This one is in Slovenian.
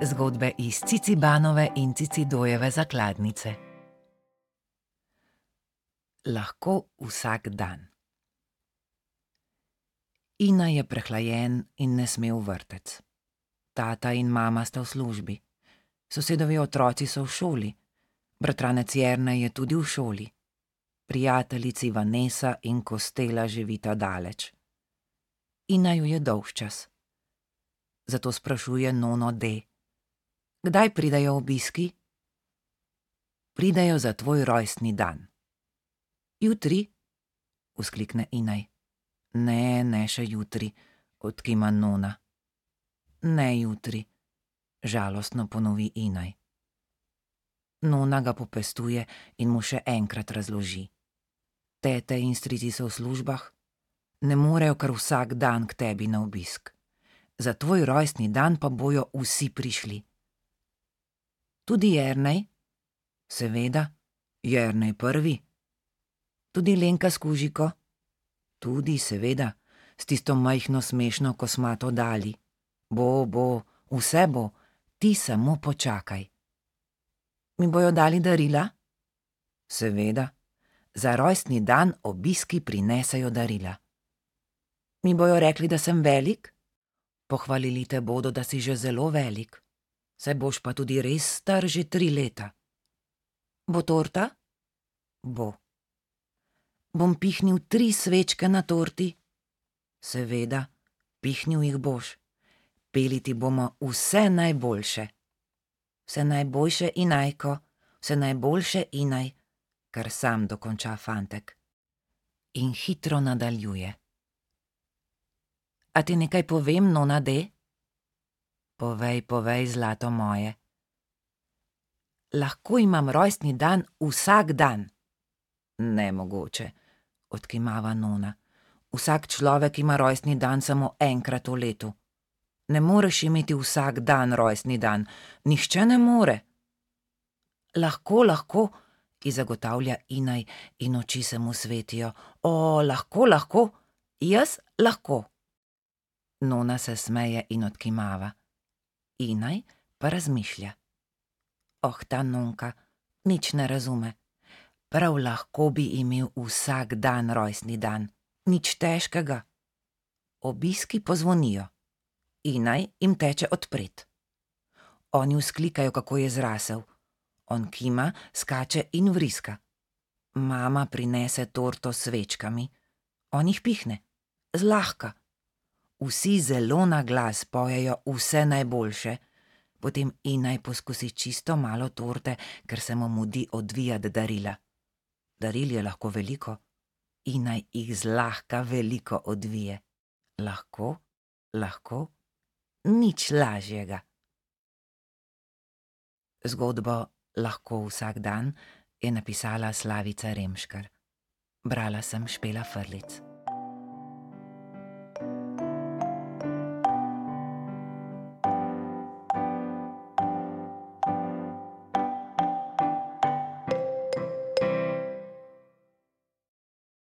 Zgodbe iz Cicibanove in Cicidojeve zakladnice. Lahko vsak dan. Ina je prehlajen in ne sme v vrtec. Tata in mama sta v službi. Sosedovi otroci so v šoli. Bratranec Jernej je tudi v šoli. Prijateljici Vanesa in Kostela živita daleč. Ina ju je dolgčas. Zato sprašuje nono D. Kdaj pridejo obiski? Pridejo za tvoj rojstni dan. Jutri? Vzklikne Inaj. Ne še jutri, odkima nona. Ne jutri, žalostno ponovi Inaj. Nona ga popestuje in mu še enkrat razloži. Tete in strici so v službah, ne morejo kar vsak dan k tebi na obisk. Za tvoj rojstni dan pa bojo vsi prišli. Tudi Jernej? Seveda, Jernej prvi. Tudi Lenka s kužiko? Tudi, seveda, s tisto majhno smešno kosmato Dali. Bo, vse bo, ti samo počakaj. Mi bojo dali darila? Seveda, za rojstni dan obiski prinesejo darila. Mi bojo rekli, da sem velik? Pohvalili te bodo, da si že zelo velik. Saj boš pa tudi res star že 3 leta. Bo torta? Bo. Bom pihnil 3 svečke na torti? Seveda, pihnil jih boš. Peli ti bomo vse najboljše. Vse najboljše, Inajko, vse najboljše, Inaj, kar sam dokonča fantek. In hitro nadaljuje. A ti nekaj povem, nona D? Povej, zlato moje. Lahko imam rojstni dan vsak dan. Nemogoče, odkimava nona. Vsak človek ima rojstni dan samo enkrat v letu. Ne moreš imeti vsak dan rojstni dan, nihče ne more. Lahko, ji zagotavlja Inaj in oči se mu svetijo. O, lahko, jaz lahko. Nona se smeje in odkimava. Inaj pa razmišlja. Ta nonka nič ne razume. Prav lahko bi imel vsak dan rojstni dan, nič težkega. Obiski pozvonijo. Inaj jim teče odpret. Oni vzklikajo, kako je zrasel. On kima, skače in vriska. Mama prinese torto s svečkami. On jih pihne. Zlahka. Vsi zelo na glas pojejo vse najboljše. Potem Inaj poskusi čisto malo torte, ker se mu mudi odvijati darila. Daril je lahko veliko. Inaj jih zlahka veliko odvije. Lahko, nič lažjega. Zgodbo Lahko vsak dan je napisala Slavica Remškar. Brala sem Špela Frlic.